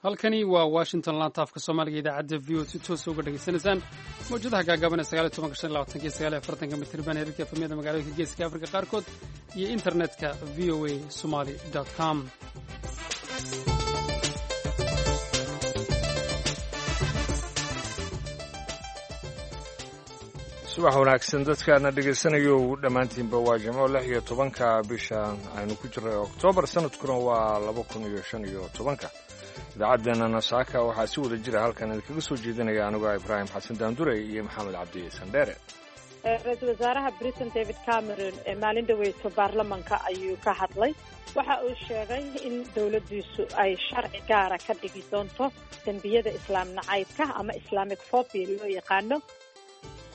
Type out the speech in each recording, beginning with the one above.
Halkani waa Washington, laanta afka Soomaaliga, idaacadda VOA si toosa uga dhegaysanaysaan mawjadaha gaagaaban ee 19, 25 iyo 49-ka mitirban, heerarka FM-yada magaalooyinka Geeska Afrika qaarkood iyo internetka voasomali.com. Subax wanaagsan dadkaana dhegaysanayo dhammaantiinba. Waa jimco, 16-ka bisha aynu ku jirray Oktoobar, sanadkuna waa 2015-ka. Idaacaddeenana saaka waxaa si wada jira halkan idinkaga soo jeedinaya anigoo Ibraahim Xasan Daandurey iyo Maxamed Cabdi Sandheere. Ra-iisul wasaaraha Britain David Cameron ee maalin dhaweyto baarlamanka ayuu ka hadlay. Waxa uu sheegay in dowladdiisu ay sharci gaara ka dhigi doonto dembiyada islaam nacaybka ama Islamic phobia loo yaqaano.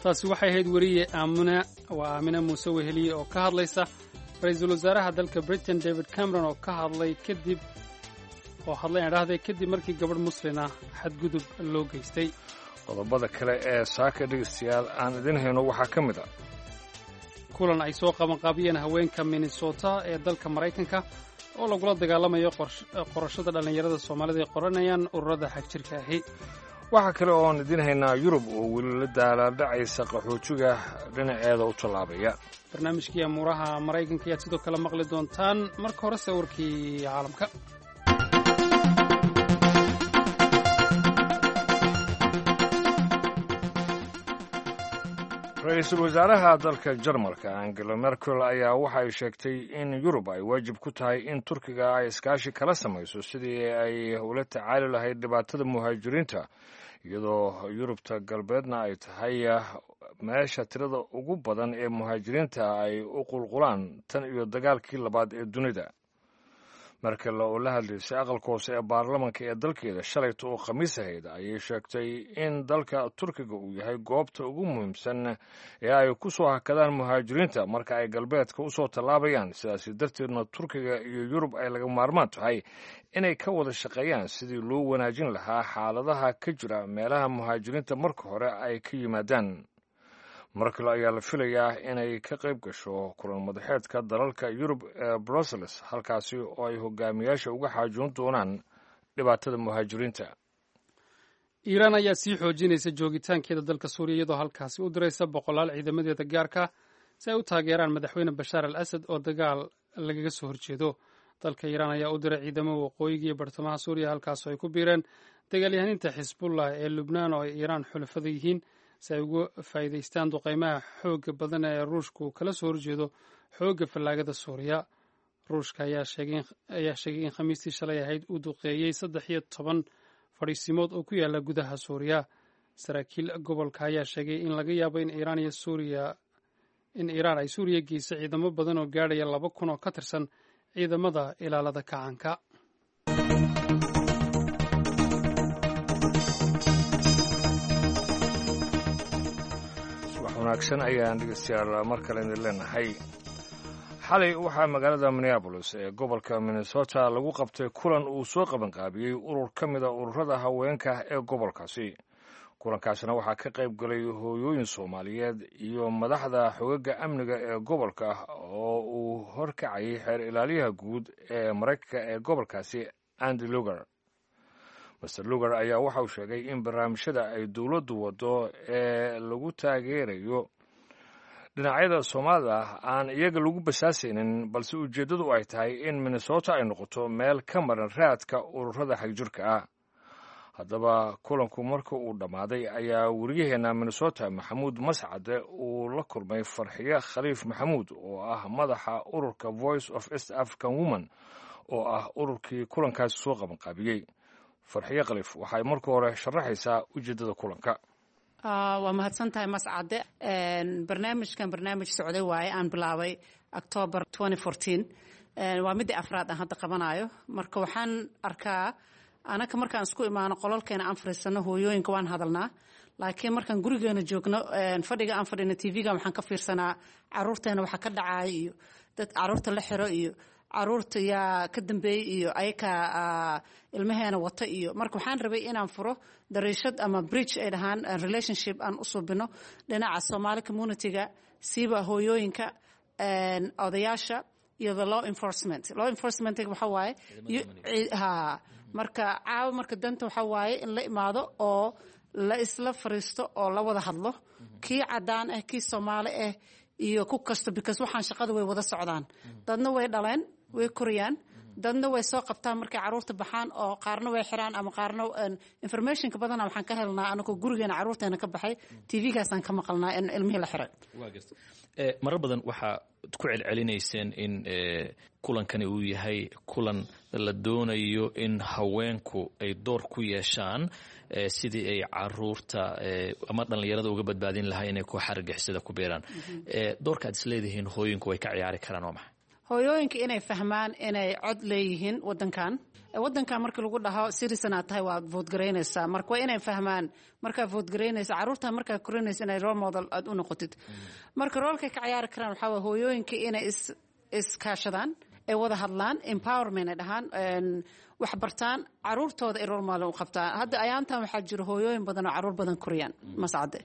Taasi waxay ahayd weriye Aamina, waa Aamina Muuse Weheliye oo ka hadlaysa ra-iisul wasaaraha dalka Britain David Cameron oo ka hadlay kadib oo hadlay aan dhahday kadib markii gabadh muslina xadgudub loo geystay. Qodobada kale ee saaka dhegaystayaal aan idin hayno waxaa ka mid ah kulan ay soo qabanqaabiyeen haweenka Minnesota ee dalka Maraykanka oo lagula dagaalamayo qorashada dhallinyarada Soomaalida ay qoranayaan ururada xagjirka ahi. Waxaa kale oon idiin haynaa Yurub oo weli la daalaadhacaysa qaxootiga dhinaceeda u tallaabaya. Barnaamijkii amuuraha Maraykanka ayaad sidoo kale maqli doontaan. Marka horese warkii caalamka. Ra-iisul wasaaraha dalka Jarmalka Angela Merkel ayaa waxa ay sheegtay in Yurub ay waajib ku tahay in Turkiga ay iskaashi kala samayso sidii ay ula tacaali lahayd dhibaatada muhaajiriinta, iyadoo Yurubta galbeedna ay tahay meesha tirada ugu badan ee muhaajiriinta ay u qulqulaan tan iyo dagaalkii labaad ee dunida. Merkel oo la hadlaysay aqalka hoose ee baarlamanka ee dalkeeda shalayta oo Khamiis ahayd ayay sheegtay in dalka Turkiga uu yahay goobta ugu muhiimsan ee ay ku soo hakadaan muhaajiriinta marka ay galbeedka u soo tallaabayaan, sidaasi darteedna Turkiga iyo Yurub ay laga maarmaan tahay inay ka wada shaqeeyaan sidii loo wanaajin lahaa xaaladaha ka jira meelaha muhaajiriinta marka hore ay ka yimaadaan. Markale ayaa la filayaa inay ka qayb gasho kulan madaxeedka dalalka Yurub ee Brussels, halkaasi oo ay hogaamiyaasha uga xaajoon doonaan dhibaatada muhaajiriinta. Iiraan ayaa sii xoojinaysa joogitaankeeda dalka Suuriya, iyadoo halkaasi u diraysa boqolaal ciidamadeeda gaarka si ay u taageeraan madaxweyne Bashaar al Asad oo dagaal lagaga soo horjeedo. Dalka Iiraan ayaa u diray ciidamo waqooyiga iyo bartamaha Suuriya, halkaasoo ay ku biireen dagaalyahaniinta Xisbullah ee Lubnaan oo ay Iiraan xulafada yihiin, si ay uga faa'iidaystaan duqaymaha xoogga badan ee Ruushku kala soo horjeedo xoogga fallaagada Suuriya. Ruushka ayaa sheegay in Khamiistii shalay ahayd uu duqeeyey 13 fadhiisimood oo ku yaala gudaha Suuriya. Saraakiil gobolka ayaa sheegay in laga yaabo in Iiraan iyo Suuriya in Iiraan ay Suuriya geyso ciidamo badan oo gaadhaya 2000 oo ka tirsan ciidamada ilaalada kacanka. Subax wanaagsan ayaan dhegeystayaal mar kale idin leenahay. Xalay waxaa magaalada Minneabolis ee gobolka Minnesota lagu qabtay kulan uu soo qabanqaabiyey urur ka mida ururada haweenka ee gobolkaasi. Kulankaasina waxaa ka qayb galay hooyooyin Soomaaliyeed iyo madaxda xogaga amniga ee gobolka oo uu horkacayay xeer ilaaliyaha guud ee Maraykanka ee gobolkaasi, Andy Lugar. Master Lugar ayaa waxa uu sheegay in barnaamijyada ay dowladdu waddo ee lagu taageerayo dhinacyada Soomaalida aan iyaga lagu basaasaynin, balse ujeeddadu ay tahay in Minnesota ay noqoto meel ka maran raadka ururada xagjirka ah. Haddaba kulanku marka uu dhammaaday ayaa wariyaheenna Minnesota Maxamuud Mascade uu la kulmay Farxiye Khaliif Maxamuud oo ah madaxa ururka Voice of East African Women, oo ah ururkii kulankaasi soo qabanqaabiyey. Farxiye Khaliif waxay marka hore sharaxaysaa ujeeddada kulanka. Waa mahadsan tahay, Mascade. Barnaamijkan barnaamij socday waaye aan bilaabay October. Waa midii afraad aan hadda qabanayo. Marka waxaan arkaa anaka markaan isku imaano qololkeena aan fariisano, hooyooyinka waan hadalnaa, laakiin markaan gurigeena joogno, fadhiga aan fadhino, TV-ga waxaan ka fiirsanaa caruurteena waxa ka dhacaya iyo dad caruurta la xiro iyo caruurta yaa ka dambeeyey iyo ayaka ilmaheena wata iyo. Marka waxaan rabay inaan furo dariishad ama bridge ay dhahaan relationship aan u suubino dhinaca Soomaali community-ga, siiba hooyooyinka, odayaasha iyo the law enforcement. Law enforcement waxa waaye ha Marka caawa marka danta waxaa waaye in la imaado oo la isla fariisto oo la wada hadlo, kii cadaan ah, kii Soomaali ah iyo ku kasta, because waxaan shaqada way wada socdaan. Dadna way dhaleen, way koriyaan, dadna way soo qabtaan markay caruurta baxaan, oo qaarna way xiraan ama qaarna informationka badana waxaan ka helnaa anagoo gurigeena caruurteena ka baxay, TV-gaasaan ka maqalnaa in ilmihii la xiray. Waa garta. Marar badan waxaa ku celcelinayseen in kulankani uu yahay kulan la doonayo in haweenku ay door ku yeeshaan sidii ay caruurta ama dhallinyarada uga badbaadin lahaa inay koox argagixisada ku biiraan. Doorka aad isleedihiin hooyinku way ka ciyaari karaan waa maxay? Hooyooyinka inay fahmaan inay cod leeyihiin wadankan. Wadankan markii lagu dhaho citizen aad tahay, waad vote garaynaysaa. Marka waa inay fahmaan markaa vote garaynaysa, caruurta markaa korinaysa, inay role model aad u noqotid. Marka roolkay ka ciyaari karaan waxaa waye hooyooyinka inay is iskaashadaan, ay wada hadlaan, empowerment ay dhahaan, wax bartaan, caruurtooda ay role model u qabtaan. Hadda ayaantan waxaa jira hooyooyin badan oo caruur badan koriyaan, Mascade,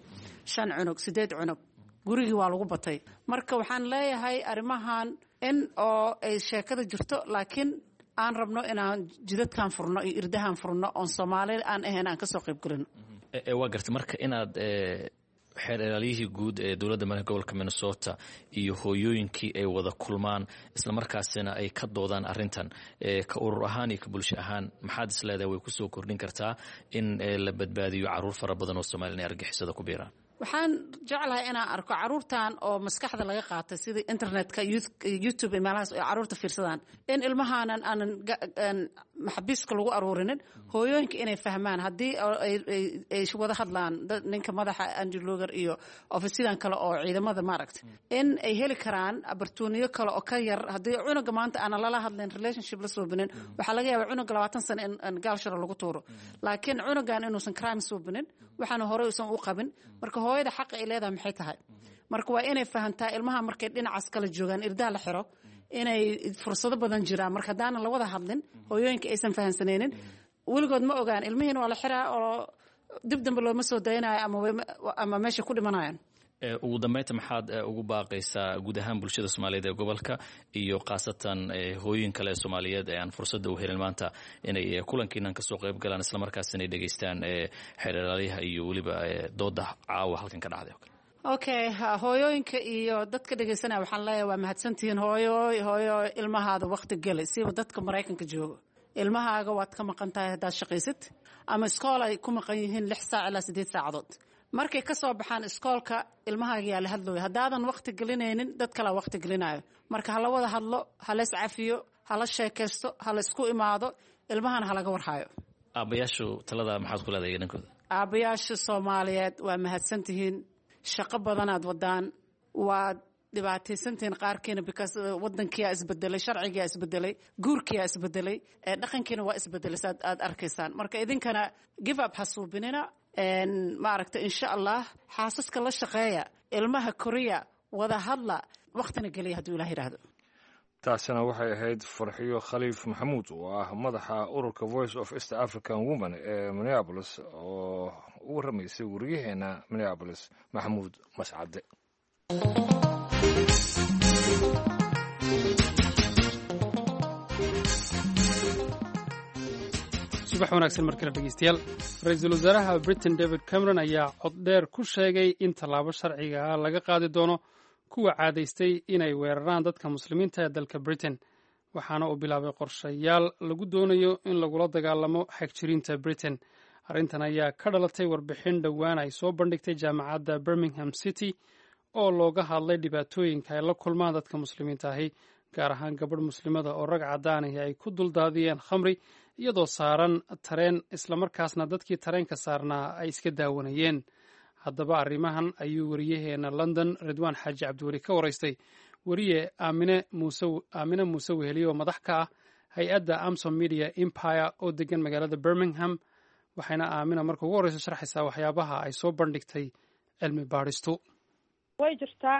shan cunug, sideed cunug, gurigii waa lagu batay. Marka waxaan leeyahay arrimahan in oo ay sheekada jirto, laakiin aan rabno inaan jidadkan furno iyo irdahan furno oon Soomaali aan ahayn aan kasoo qayb gelino. Waa gartay. Marka inaad xeer ilaaliyihii guud ee dowladda marka gobolka Minnesota iyo hooyooyinkii ay wada kulmaan, islamarkaasina ay ka doodaan arrintan, ka urur ahaan iyo ka bulsho ahaan, maxaad is leedahay way kusoo kordhin kartaa in la badbaadiyo caruur fara badan oo Soomaliya inay argixisada ku biiraan? Waxaan jeclahay inaan arko caruurtan oo maskaxda laga qaatay, sida internetka, YouTube iyo meelahaas ay caruurta fiirsadaan, in ilmahaanan aanan maxabiiska lagu aruurinin. Hooyooyinka inay fahmaan haddii ay wada hadlaan ninka madaxa Andrew Luger iyo ofisyadan kale oo ciidamada, maaragta, in ay heli karaan opportunity kale oo ka yar. Haddii cunuga maanta aanan lala hadlayn, relationship la suubinin, waxaa laga yaabaa cunuga 20 sano in gaalshara lagu tuuro, laakiin cunugan inuusan crime suubinin, waxaana horey usan u qabin. Marka hooyada xaqa ay leedahay maxay tahay? Marka waa inay fahantaa ilmaha markay dhinacaas kala joogaan, irdaha la xiro, inay fursado badan jiraan. Marka haddaanan la wada hadlin, hooyooyinka aysan fahansanaynin, weligood ma ogaan ilmihiina waa la xiraa oo dib dambe looma soo daynayo ama meesha ku dhimanayaan. Ugu dambeynta, maxaad ugu baaqaysaa guud ahaan bulshada Soomaaliyeed ee gobolka iyo khaasatan hooyin kale ee Soomaaliyeed ee aan fursadda u helin maanta inay kulankiinan kasoo qayb galaan, islamarkaas inay dhegeystaan xeer ilaaliyaha iyo weliba dooda caawa halkan ka dhacday o kale? Okay, hooyooyinka iyo dadka dhegeysanaya waxaan leeyahay waa mahadsantihiin. Hooyo, hooyo, ilmahaada waqti geli, siba dadka Maraykanka joogo. Ilmahaaga waad ka maqan tahay haddaad shaqaysid ama iskool ay ku maqan yihiin 6 saac ilaa 8 saacadood. Markay ka soo baxaan iskoolka, ilmahaaga yaa la hadlooya. Haddaadan waqti gelinaynin, dad kalaa waqti gelinayo. Marka hala wada hadlo, hala iscafiyo, hala sheekaysto, hala isku imaado, ilmahana halaga warhayo. Aabbayaashu talada maxaad ku leedahay dhankooda? Aabbayaasha Soomaaliyeed, waa mahadsantihiin, shaqo badanaad wadaan, waad dhibaataysantihiin qaarkiina, because wadankiyaa isbedelay, sharcigiyaa isbedelay, guurkiyaa isbedelay, dhaqankiina waa isbedelay saad aad arkaysaan. Marka idinkana give up ha suubinina, maaragta. Insha Allah xaasaska la shaqeeya, ilmaha koriya, wada hadla, waqtina geliya hadduu Ilaah yidhaahdo. Taasina waxay ahayd Farxiyo Khaliif Maxamuud oo ah madaxa ururka Voice of East African Women ee Minneapolis oo u warramaysay wariyaheena Minneapolis, Maxamuud Mascade. Subax wanaagsan mar kale, dhegeystayaal. Ra-iisul wasaaraha Britain David Cameron ayaa cod dheer ku sheegay in tallaabo sharciga ah laga qaadi doono kuwa caadaystay inay weeraraan dadka Muslimiinta ee dalka Britain, waxaana uu bilaabay qorshayaal lagu doonayo in lagula dagaalamo xagjiriinta Britain. Arrintan ayaa ka dhalatay warbixin dhowaan ay soo bandhigtay jaamacadda Birmingham City oo looga hadlay dhibaatooyinka ay la kulmaan dadka Muslimiinta ahi, gaar ahaan gabadh Muslimada oo rag caddaanahi ay ku duldaadiyeen khamri iyadoo saaran tareen, islamarkaasna dadkii tareenka saarnaa ay iska daawanayeen. Haddaba arrimahan ayuu wariyaheena London Ridwaan Xaaji Cabdiweli ka waraystay weriye Aamine Muuse, Aamine Muuse Weheliye, oo madax ka ah hay-adda Amsom Media Empire oo degan magaalada Birmingham. Waxayna Aamina marka ugu horreysa sharxaysaa waxyaabaha ay soo bandhigtay cilmi baadhistu. Way jirtaa,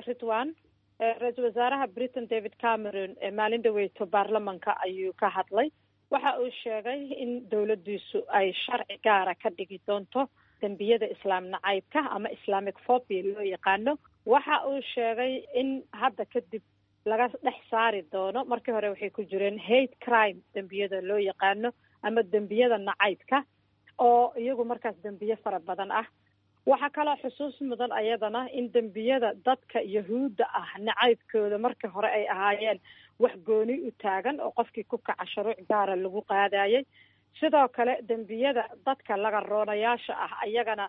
Ridwan. Ra-iisul wasaaraha Britain David Cameron maalin dhaweyto baarlamanka ayuu ka hadlay. Waxa uu sheegay in dowladdiisu ay sharci gaara ka dhigi doonto dembiyada Islaam nacaybka ama Islamic phobia loo yaqaano. Waxa uu sheegay in hadda kadib laga dhex saari doono. Markii hore waxay ku jireen hate crime dembiyada loo yaqaano. ama dembiyada nacaybka oo iyagu markaas dembiye fara badan ah. Waxaa kaloo xusuus mudan ayadana in dembiyada dadka yahuudda ah nacaybkooda markii hore ay ahaayeen wax gooni u taagan oo qofkii ku kaca shuruuc gaara lagu qaadayay. Sidoo kale dembiyada dadka laga roonayaasha ah iyagana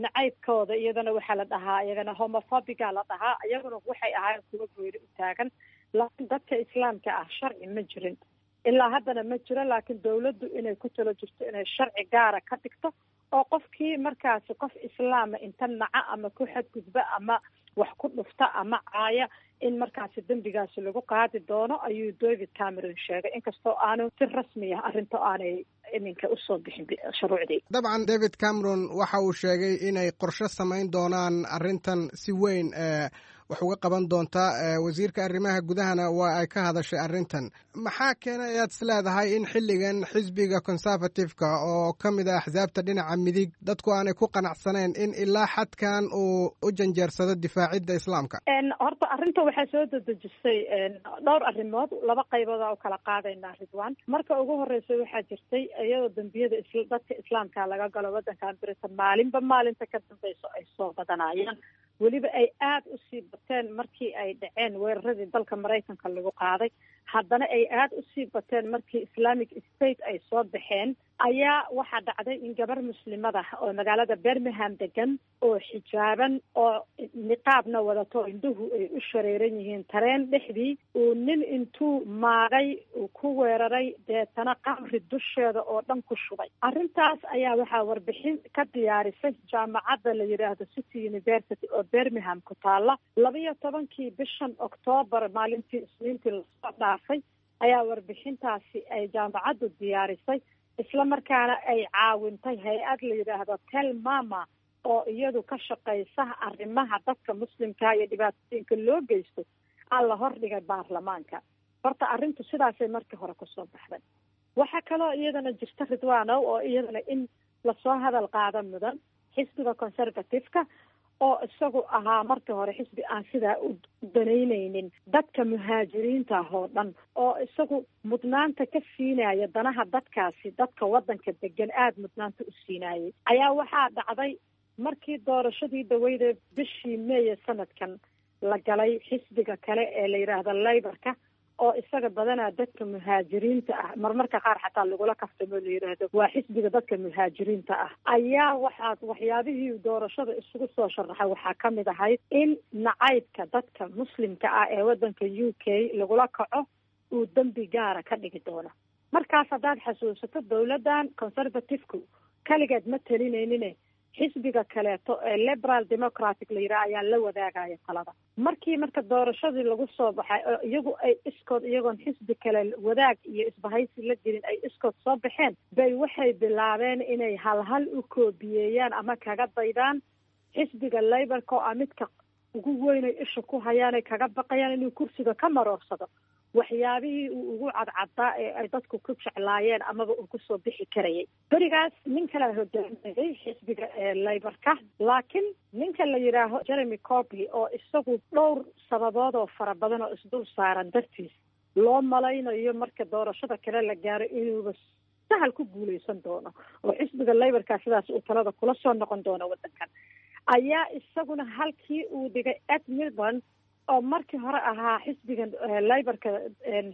nacaybkooda iyadana waxaa la dhahaa iyagana homophobiga la dhahaa, iyaguna waxay ahaayeen kuwa gooni u taagan. Laakiin dadka islaamka ah sharci ma jirin, ilaa haddana ma jiro, laakiin dawladdu inay ku talo jirto inay sharci gaara ka dhigto oo qofkii markaasi qof islaama inta naca ama ku xadgudba ama wax ku dhufta ama caaya in markaasi dembigaasi lagu qaadi doono ayuu David Cameron sheegay, inkastoo aanu si rasmi ah arrinta aanay iminka usoo bixin shuruucdii. Dabcan David Cameron waxa uu sheegay inay qorshe samayn doonaan arrintan si weyn wax uga qaban doonta. Wasiirka arrimaha gudahana waa ay ka hadashay arrintan. Maxaa keenay ayaad is leedahay in xilligan xisbiga Conservative-ka oo ka mid ah axsaabta dhinaca midig dadku aanay ku qanacsanayn in ilaa xadkan uu u janjeersado difaacidda islaamka? Horta arrinta waxaa soo dedejisay dhowr arrimood, laba qaybood aa u kala qaadaynaa Ridwan. Marka ugu horeysa waxaa jirtay iyadoo dembiyada dadka islaamka laga galo waddankan Britain maalinba maalinta ka dambeyso ay soo badanayaan, weliba ay aada usii bateen markii ay dhaceen weeraradii dalka Maraykanka lagu qaaday, haddana ay aada usii bateen markii Islamic State ay soo baxeen. Ayaa waxaa dhacday in gabar muslimada oo magaalada Birmingham degan oo xijaaban oo niqaabna wadato, indhuhu ay u shareeran yihiin, tareen dhexdii uu nin intuu maagay uu ku weeraray, deetana qamri dusheeda oo dhan ku shubay. Arrintaas ayaa waxaa warbixin ka diyaarisay jaamacadda la yidhaahdo City University oo Birmingham ku taala. 12-kii bishan Octoobar, maalintii Isniintii lasoo dhaafay, ayaa warbixintaasi ay jaamacaddu diyaarisay, isla markaana ay caawintay hay-ad la yidhaahdo Tel Mama oo iyadu ka shaqeysa arrimaha dadka muslimka iyo dhibaatooyinka loo geysto, aa la hordhigay baarlamaanka. Horta arrintu sidaasay markii hore kusoo baxday. Waxaa kaloo iyadana jirta, Ridwaanow, oo iyadana in lasoo hadal qaado mudan, xisbiga Conservative-ka oo isagu ahaa markii hore xisbi aan sidaa u danaynaynin dadka muhaajiriinta ah oo dhan, oo isagu mudnaanta ka siinaya danaha dadkaasi, dadka waddanka degan aada mudnaanta u siinayay, ayaa waxaa dhacday markii doorashadii dhaweyde bishii Meeye sanadkan la galay, xisbiga kale ee la yidhaahdo Labourka oo isaga badanaa dadka muhaajiriinta ah marmarka qaar xataa lagula kaftamo la yidhaahdo waa xisbiga dadka muhaajiriinta ah, ayaa waxaa waxyaabihii doorashada isugu soo sharaxay waxaa ka mid ahayd in nacaybka dadka muslimka ah ee waddanka UK lagula kaco uu dembi gaara ka dhigi doono. Markaas haddaad xasuusato, dowladdan Conservative-ku kaligeed ma talinaynin, xisbiga kaleeto ee Liberal Democratic la yidhaha ayaa la wadaagaya talada. Markii marka doorashadii lagu soo baxay oo iyagu ay iskood, iyagoon xisbi kale wadaag iyo isbahaysi la gelin, ay iskood soo baxeen, bay waxay bilaabeen inay halhal u koobiyeeyaan ama kaga daydaan xisbiga Labourka oo ah midka ugu weynay isha ku hayaanay kaga baqayaan inuu kursiga ka maroorsado waxyaabihii uu ugu cadcaddaa ee ay dadku ku jeclaayeen amaba uu kusoo bixi karayay. Berigaas nin kalea hogaaminayay xisbiga Labourka, laakiin ninka la yidhaaho Jeremy Corbyn oo isagu dhowr sababood oo fara badan oo isdul saaran dartiis loo malaynayo marka doorashada kale la gaaro inuuba sahal ku guuleysan doono oo xisbiga Labourka sidaas uu talada kula soo noqon doono waddankan, ayaa isaguna halkii uu dhigay Ed Milburn oo markii hore ahaa xisbiga Labourka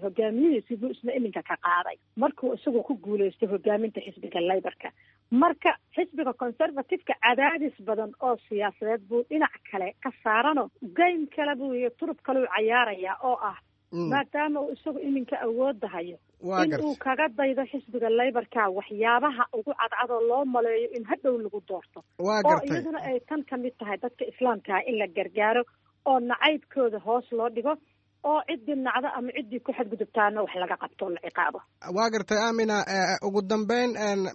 hogaamiyihiisi buu isna iminka ka qaaday markuu isagu ku guuleystay hogaaminta xisbiga Labourka. Marka xisbiga Conservative-ka cadaadis badan oo siyaasadeed buu dhinac kale ka saarano, game kale buu iyo turub kale u cayaarayaa oo ah maadaama uu isagu iminka awoodda hayo in uu kaga daydo xisbiga Labourka waxyaabaha ugu cadcadoo loo maleeyo in hadhow lagu doorto, oo iyaduna ay tan ka mid tahay dadka islaamkaa in la gargaaro oo nacaybkooda hoos loo dhigo oo ciddii nacdo ama ciddii ku xadgudubtaana wax laga qabto oo la ciqaabo. Waa gartay Amina. Ugu dambeyn,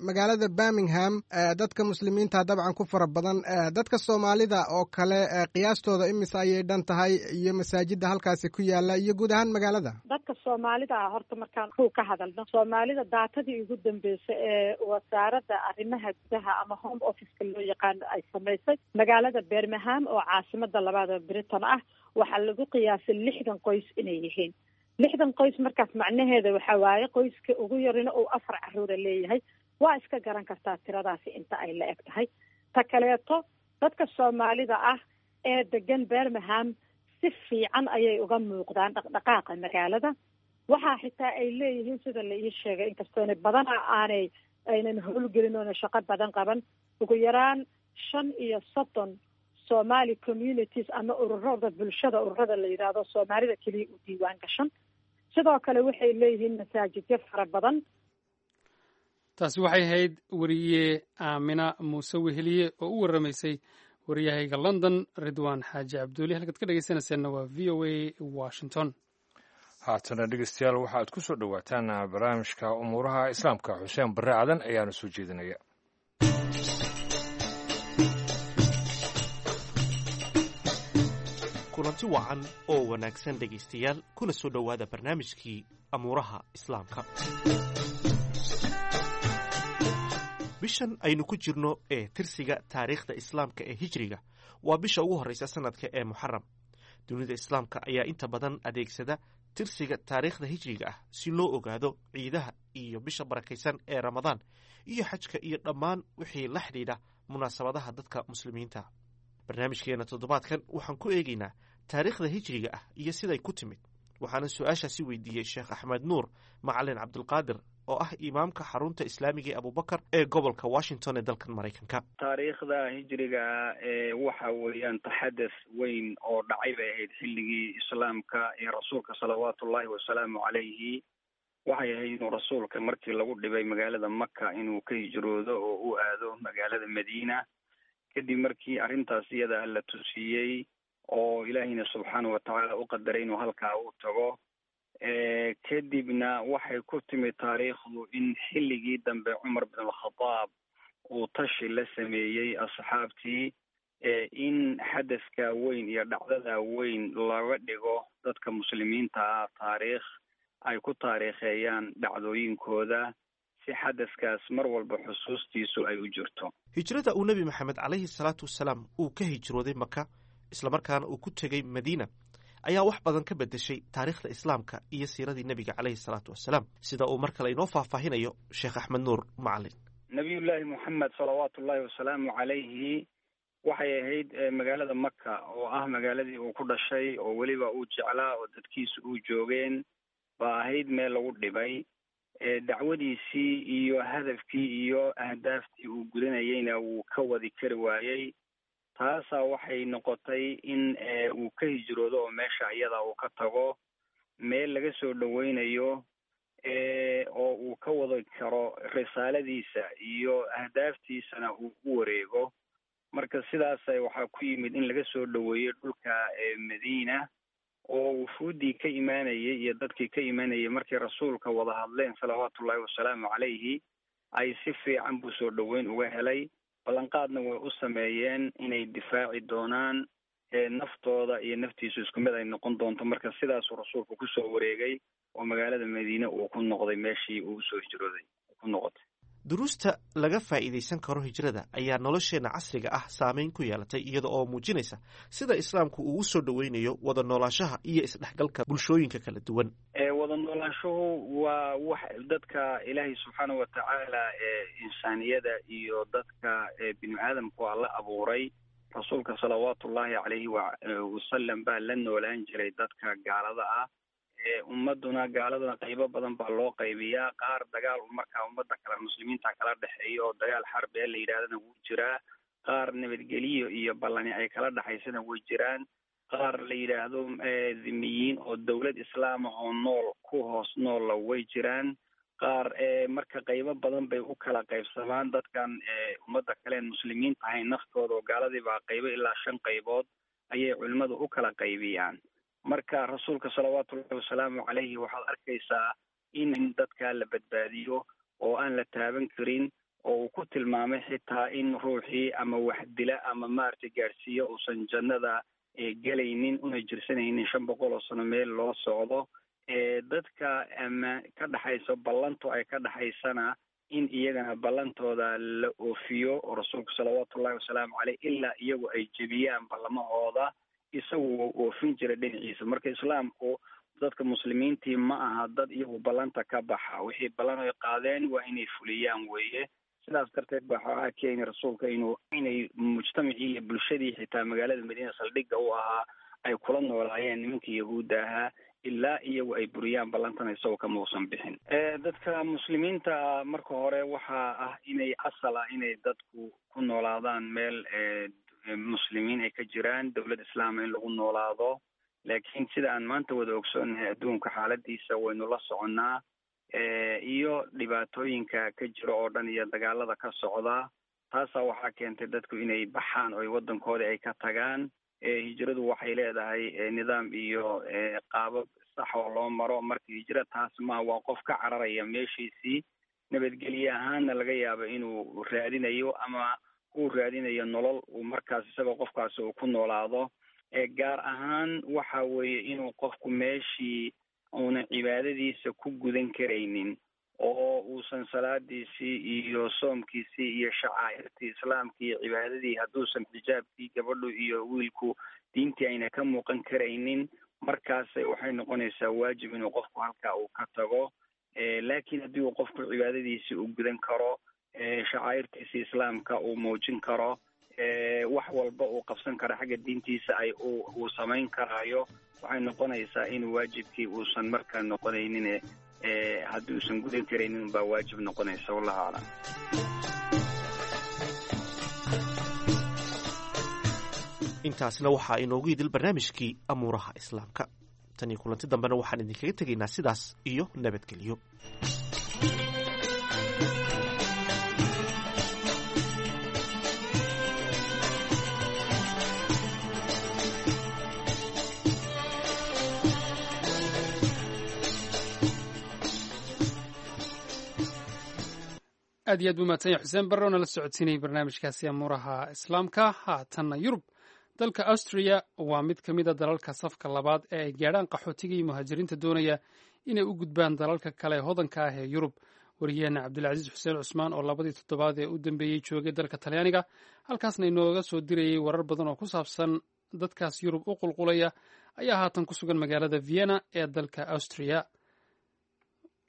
magaalada Birmingham dadka muslimiinta dabcan ku fara badan, dadka soomaalida oo kale qiyaastooda imise ayay dhan tahay iyo masaajida halkaasi ku yaala iyo guud ahaan magaalada? Dadka soomaalida ah horta markaan ku ka hadalno, soomaalida daatadii ugu dambeysay ee wasaaradda arrimaha gudaha ama Home Officeka loo yaqaano ay samaysay magaalada Birmingham oo caasimada labaad ee Britain ah, waxaa lagu qiyaasay 60 qoys inay yihiin. 60 qoys markaas macnaheeda waxa waaye qoyska ugu yarina uu 4 caruura leeyahay. Waa iska garan kartaa tiradaasi inta ay la eg tahay. Ta kaleeto, dadka Soomaalida ah ee degan Birmingham si fiican ayay uga muuqdaan dhaqdhaqaaqa magaalada. Waxaa xitaa ay leeyihiin, sida la ii sheegay, inkastoona badanaa aanay aynan howlgelin oona shaqo badan qaban, ugu yaraan 35 Somali communities ama ururada bulshada, ururada la yidhaahdo Soomaalida keliya u diiwaan gashan. Sidoo kale waxay leeyihiin masaajidyo fara badan. Taasi waxay ahayd weriye Aamina Muuse Weheliye oo u waramaysay wariyahayga London, Ridwaan Xaaji Cabduuli. Halkaad ka dhegeysanayseena waa VOA Washington. Haatana dhegeystayaal, waxaad ku soo dhowaataan barnaamijka umuuraha Islaamka. Xuseen Barre Cadan ayaana soo jeedinaya. Kulanti wacan oo wanaagsan dhegaystayaal, kuna soo dhowaada barnaamijkii amuuraha Islaamka. Bishan aynu ku jirno ee tirsiga taariikhda Islaamka ee Hijriga waa bisha ugu horreysa sanadka ee Muxaram. Dunida Islaamka ayaa inta badan adeegsada tirsiga taariikhda Hijriga ah si loo ogaado ciidaha iyo bisha barakaysan ee Ramadaan iyo xajka iyo dhammaan wixii la xidhiidha munaasabadaha dadka Muslimiinta. Barnaamijkeena toddobaadkan waxaan ku eegaynaa taariikhda Hijriga ah iyo siday ku timid, waxaana su-aashaasi weydiiyey Sheekh Axmed Nuur Macalin Cabdulqaadir oo ah imaamka xarunta islaamiga ee Abubakar ee gobolka Washington ee dalkan Maraykanka. Taariikhda Hijriga ee waxa weeyaan taxadaf weyn oo dhacay bay ahayd xilligii Islaamka ee rasuulka salawaatullaahi wasalaamu calayhi. Waxay ahayd inuu rasuulka markii lagu dhibay magaalada Maka inuu ka hijroodo oo u aado magaalada Madiina, kadib markii arrintaas iyada la tusiyey oo Ilaahiyna subxaana watacaala u qadaray inuu halkaa u tago. Kadibna waxay ku timid taariikhdu in xilligii dambe Cumar bin Alkhadaab uu tashi la sameeyey asxaabtii in xadaska weyn iyo dhacdada weyn looga dhigo dadka Muslimiinta ah taariikh ay ku taariikheeyaan dhacdooyinkooda, si xadaskaas mar walba xusuustiisu ay u jirto. Hijrada uu Nebi Maxamed calayhi salaatu wasalaam uu ka hijrooday Maka islamarkaana uu ku tegey Madiina ayaa wax badan ka beddeshay taariikhda Islaamka iyo siiradii nebiga calayhi salaatu wasalaam, sida uu mar kale inoo faahfaahinayo Sheekh Axmed Nuur Macalin. Nabiyullaahi Moxamed salawaatullaahi wasalaamu calayhi waxay ahayd magaalada Maka oo ah magaaladii uu ku dhashay oo weliba uu jeclaa oo dadkiisu uu joogeen baa ahayd meel lagu dhibay. Dacwadiisii iyo hadafkii iyo ahdaaftii uu gudanayeyna wuu ka wadi kari waayey. Taasaa waxay noqotay in uu ka hijroodo oo meesha iyada uu ka tago, meel laga soo dhaweynayo oo uu ka wadi karo risaaladiisa iyo ahdaaftiisana uu u wareego. Marka sidaasa waxaa ku yimid in laga soo dhaweeyo dhulka Madiina, oo wufuuddii ka imaanayay iyo dadkii ka imaanayay markay rasuulka wada hadleen salawaatullaahi wasalaamu calayhi ay si fiican buu soo dhaweyn uga helay. Ballanqaadna way u sameeyeen inay difaaci doonaan, naftooda iyo naftiisu isku mid ay noqon doonto. Marka sidaasuu rasuulku kusoo wareegay oo magaalada Madiine uu ku noqday meeshii uu usoo hijrooday ku noqotay. Duruusta laga faa'iidaysan karo hijrada ayaa nolosheenna casriga ah saameyn ku yeelatay, iyada oo muujinaysa sida Islaamku uu u soo dhoweynayo wada noolaanshaha iyo isdhexgalka bulshooyinka kala duwan. Wada noolaanshuhu waa wax dadka Ilaahay subxaana watacaala insaaniyada iyo dadka binu aadamku waa la abuuray. Rasuulka salawaatullaahi calayhi wasalam baa la noolaan jiray dadka gaalada ah. Ummaduna gaaladana qaybo badan baa loo qaybiyaa. Qaar dagaal markaa ummadda kale muslimiinta kala dhexeeya oo dagaal xarbi la yidhahdana wuu jiraa, qaar nabadgeliyo iyo ballani ay kala dhexaysana way jiraan, qaar la yidhaahdo dhimiyiin oo dowlad islaama oo nool ku hoos noolla way jiraan, qaar marka qaybo badan bay u kala qaybsamaan dadkan ummadda kaleen muslimiin tahay naftooda oo gaaladii baa qaybo ilaa 5 qaybood ayay culimmadu u kala qaybiyaan. Marka rasuulka salawaatullahi wasalaamu calayhi waxaad arkaysaa in dadkaa la badbaadiyo oo aan la taaban karin, oo uu ku tilmaamay xitaa in ruuxii ama wax dila ama maaragtay gaadhsiiyo uusan jannada gelaynin una jirsanaynin 500 oo sano meel loo socdo. Dadka ama ka dhexayso ballantu ay ka dhexaysana in iyagana ballantooda la oofiyo oo rasuulku salawaatullahi wasalaamu caleyh ilaa iyagu ay jebiyaan ballamahooda isagu wuu oofin jiray dhinaciisa. Marka Islaamku Dadka muslimiintii ma aha dad iyagu ballanta ka baxa, wixii ballan ay qaadeen waa inay fuliyaan weeye. Sidaas darteed ba waxaa keenay rasuulka inuu inay mujtamacii iyo bulshadii xitaa magaalada Madiina saldhigga u ahaa ay kula noolaayeen nimankii yahuudda ahaa ilaa iyagu ay buriyaan ballantana isagoo kama uusan bixin. Dadka muslimiinta marka hore waxaa ah inay asal ah inay dadku ku noolaadaan meel muslimiin ay ka jiraan, dowlad islaama in lagu noolaado. Laakiin sida aan maanta wada ogsoonnahay adduunka xaaladiisa waynu la soconnaa, iyo dhibaatooyinka ka jira oo dhan iyo dagaalada ka socda. Taasaa waxaa keentay dadku inay baxaan oo ay waddankoodii ay ka tagaan. Hijradu waxay leedahay nidaam iyo qaabab sax oo loo maro. Marka hijra taas ma waa qof ka cararaya meeshiisii, nabadgelye ahaanna laga yaabo inuu raadinayo ama uu raadinayo nolol uu markaas isagoo qofkaasi uu ku noolaado. Gaar ahaan waxa weeye inuu qofku meeshii uuna cibaadadiisa ku gudan karaynin oo uusan salaadiisii iyo soomkiisii iyo shacaa'irtii islaamkii iyo cibaadadii, hadduusan xijaabkii gabadhu iyo wiilku diintii ayna ka muuqan karaynin, markaas waxay noqonaysaa waajib inuu qofku halkaa uu ka tago. Laakiin haddii uu qofku cibaadadiisii uu gudan karo, shacaa'irtiisii islaamka uu muujin karo, wax walba uu qabsan karo xagga diintiisa ay uu samayn karaayo, waxay noqonaysaa inuu waajibkii uusan markaa noqonaynin. Haddii uusan gudan karaynin baa waajib noqonaysa. Wallahu aclam. Intaasna waxaa inoogu idil barnaamijkii amuuraha islaamka. Tan iyo kulanti dambena waxaan idinkaga tegaynaa sidaas iyo nabadgelyo. Aad iyo aad buu mahadsan yahay Xuseen Barre oo nala socodsiinayay barnaamijkaasi amuuraha islaamka. Haatanna Yurub. Dalka Austria waa mid ka mid a dalalka safka labaad ee ay gaadhaan qaxootiga iyo muhaajiriinta doonaya inay u gudbaan dalalka kale hodanka ah ee Yurub. Wariyaheena Cabdilcasiis Xuseen Cusmaan oo labadii toddobaad ee u dambeeyey joogay dalka Talyaaniga, halkaasna inooga soo dirayey warar badan oo ku saabsan dadkaas Yurub u qulqulaya, ayaa haatan ku sugan magaalada Vienna ee dalka Austria.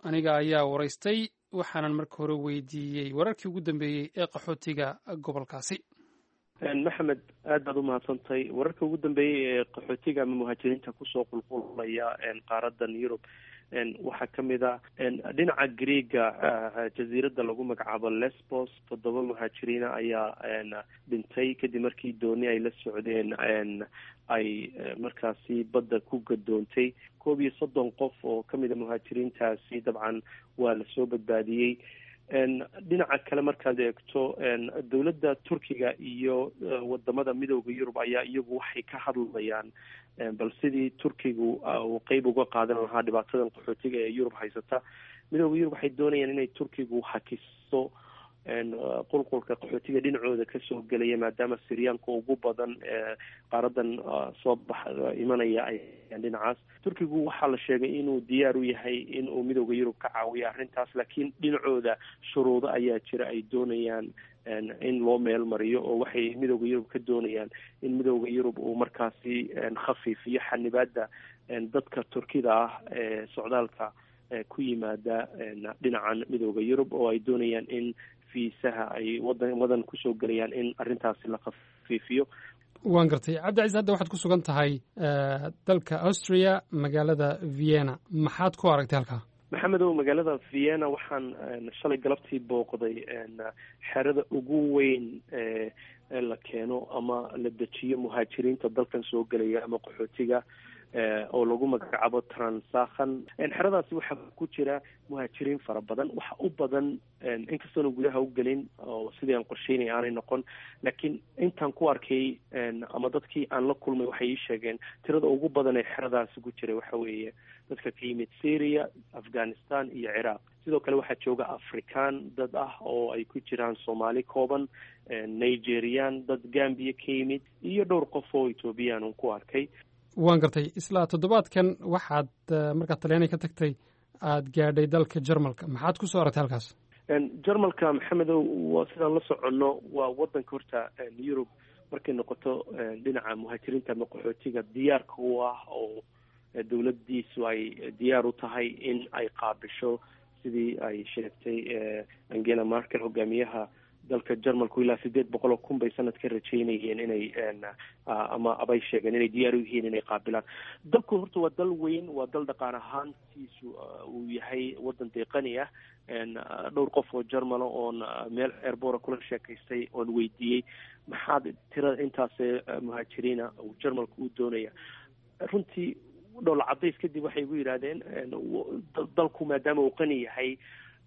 Aniga ayaa waraystay, waxaanan marka hore weydiiyey wararkii ugu dambeeyey ee qaxootiga gobolkaasi. Maxamed, aad baad umahadsantahay. Wararka ugu dambeeyey ee qaxootiga ama muhaajiriinta kusoo qulqulaya qaaradan Yurub waxaa kamid a dhinaca Greega, jasiiradda lagu magacaabo Lesbos, 7 muhaajiriina ayaa dhintay kadib markii dooni ay la socdeen ay markaasi badda ku gadoontay. 31 qof oo kamid a muhaajiriintaasi dabcan waa lasoo badbaadiyey. Dhinaca kale markaad eegto, dowladda Turkiga iyo wadamada Midooda Yurub ayaa iyagu waxay ka hadlayaan bal sidii Turkigu uu qeyb uga qaadan lahaa dhibaatadan qaxootiga ee Yurub haysata. Midooda Yurub waxay doonayaan inay Turkigu hakiso qulqulka qaxootiga dhinacooda kasoo gelaya, maadaama Siryaanka ugu badan qaaradan soo bax imanaya ay dhinacaas. Turkigu waxaa la sheegay inuu diyaar u yahay inuu Midooda Yurub ka caawiyo arrintaas, laakiin dhinacooda shuruudo ayaa jira ay doonayaan in loo meel mariyo, oo waxay Midooda Yurub ka doonayaan in Midooda Yurub uu markaasi khafiifiyo xanibaada dadka Turkida ah ee socdaalka ku yimaada dhinacan Midooda Yurub, oo ay doonayaan in fiisaha ay wadan kusoo gelayaan in arrintaasi la khafiifiyo. Waan gartay, Cabdicasiis. Hadda waxaad ku sugan tahay dalka Austria, magaalada Vienna. Maxaad ku aragtay halkaa? Maxamedow, magaalada Vienna waxaan shalay galabtii booqday xerada ugu weyn ee la keeno ama la dejiyo muhaajiriinta dalkan soo gelaya ama qaxootiga, oo lagu magacaabo Transakhan. Xeradaasi waxaa ku jira muhaajiriin fara badan, waxa u badan, inkastoona gudaha u gelin oo sidii aan qorsheynaya aanay noqon, laakiin intaan ku arkay ama dadkii aan la kulmay waxay ii sheegeen tirada ugu badan ee xeradaasi ku jira waxa weeye dadka ka yimid Syria, Afghanistan iyo Ciraaq. Sidoo kale waxaa jooga Afrikaan dad ah oo ay ku jiraan Soomaali kooban, Nigerian, dad Gambia ka yimid iyo dhowr qof oo Ethoobiyan un ku arkay. Waan gartay. Isla toddobaadkan waxaad markaad Talyaaniga ka tagtay aada gaadhay dalka Jarmalka. Maxaad kusoo aragtay halkaas? Jarmalka, Maxamedow, waa sidaan la soconno waa wadanka horta Yurub markay noqoto dhinaca muhaajiriinta ama qaxootiga diyaarka u ah oo Dowladdiisu ay diyaar u tahay in ay qaabisho, sidii ay sheegtay Angela Merkel, hogaamiyaha dalka Jarmalku, ilaa 800,000 bay sanadka rajaynayeen inay ama abay sheegeen inay diyaar u yihiin inay qaabilaan. Dalku horta waa dal weyn, waa dal dhaqaan ahaantiisu uu yahay wadan deeqani ah. Dhowr qof oo Jarmala oon meel airport kula sheekaystay oon weydiiyey maxaad tirada intaas muhaajiriina uu Jarmalku u doonaya, runtii dhoola cadays kadib waxay igu yidhaahdeen dalku maadaama uu qani yahay,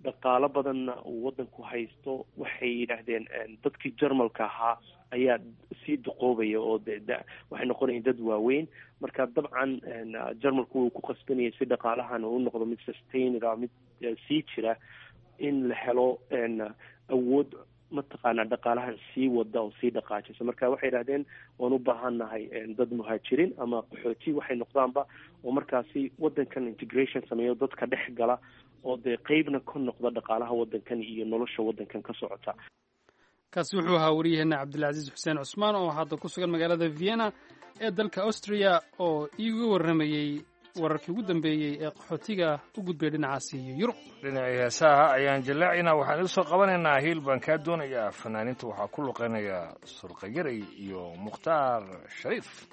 dhaqaalo badanna uu wadanku haysto, waxay yidhaahdeen dadkii Jarmalka ahaa ayaa sii duqoobaya oo de waxay noqonayeen dad waaweyn. Marka dabcan Jarmalku wuu ku qasbanayay si dhaqaalahan uu noqdo mid sustainable, mid sii jira, in la helo awood mataqaanaa dhaqaalahan sii wada oo sii dhaqaajisa. Marka waxay yidhahdeen waan u baahannahay dad muhaajiriin ama qaxooti waxay noqdaanba, oo markaasi wadankan integration sameeyo, dadka dhex gala oo dee qeybna ka noqda dhaqaalaha wadankan iyo nolosha wadankan ka socota. Kaasi wuxuu ahaa wariyaheenna Cabdilcasiis Xuseen Cusmaan oo hadda ku sugan magaalada Vienna ee dalka Austria, oo iiga warramayey wararkii ugu dambeeyey ee qaxootiga u gudbay dhinacaasi iyo Yurub. Dhinacii heesaha ayaan jallaacinaa. Waxaan idiin soo qabanaynaa Hiil Baan Kaa Doonayaa. Fanaaniinta waxaa ku luqeynaya Surqayaray iyo Mukhtaar Shariif.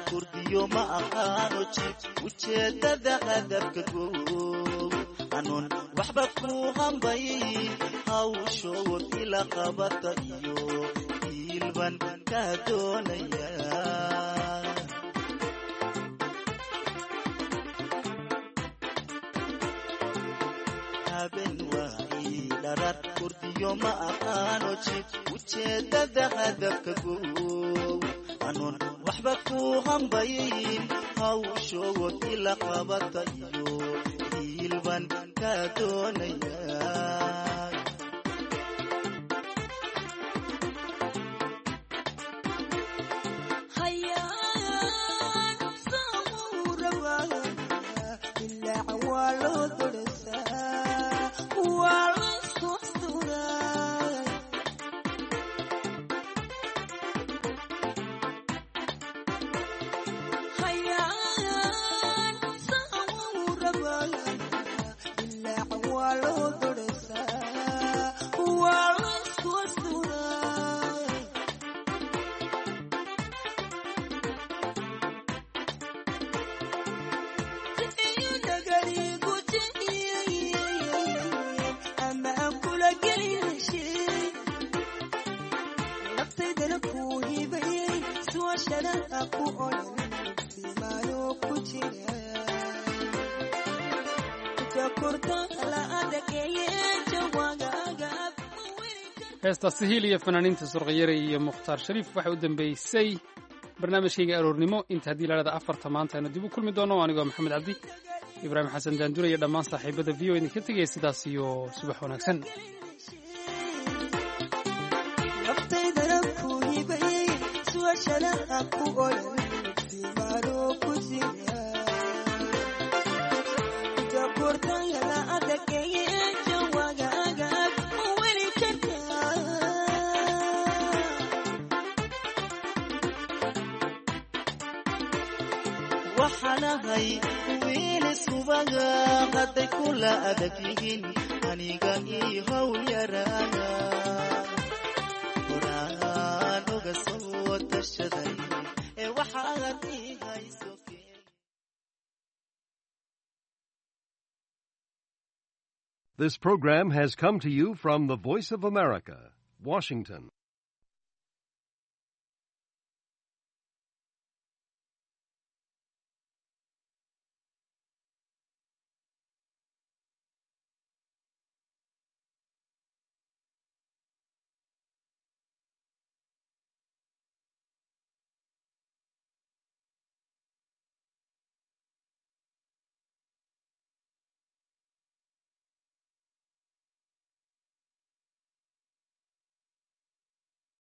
Kurdiyo ma aqaano jib ujeedada hadafka goog anoon waxba ku hambayn, hawshood ila qabata iyo hiilban kaa doonaya. Haben waa ii dharar, kurdiyo ma aqaano jib ujeedada hadafka goog anoon waxba ku hambayn, hawshood ila qabata iyo hiilban kaa doonaya. Heestaasi Hiil iyo fanaaniinta Surqayaray iyo Mukhtaar Shariif waxay u dambeysay barnaamijkayga aroornimo. Inta haddii laadhada 4ta maanta aynu dib u kulmi doono, anigoo Maxamed Cabdi, Ibraahim Xasan Daandure iyo dhammaan saaxiibada VOA idinka tegaya sidaas iyo subax wanaagsan. Waxaanahay wiil subaga hadday kula adag yihiin aniga ii hawl yaraana, horaan uga soo tashaday ee waxaad ii hayso. This program has come to you from the Voice of America, Washington.